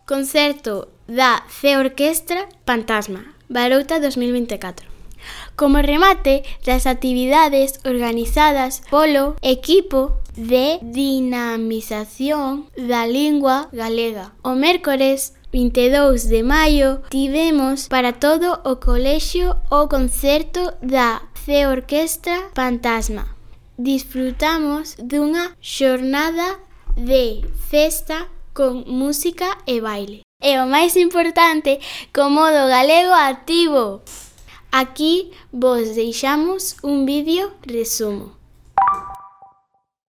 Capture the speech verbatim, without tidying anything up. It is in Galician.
Concerto da C Orquestra Pantasma, Barouta dos mil vinte e catro. Como remate das actividades organizadas polo equipo de dinamización da lingua galega. O mércores vinte e dous de maio tivemos para todo o colexio o concerto da C Orquestra Pantasma. Disfrutamos dunha xornada de festa con música e baile. E o máis importante, co modo galego activo. Aquí vos deixamos un vídeo resumo.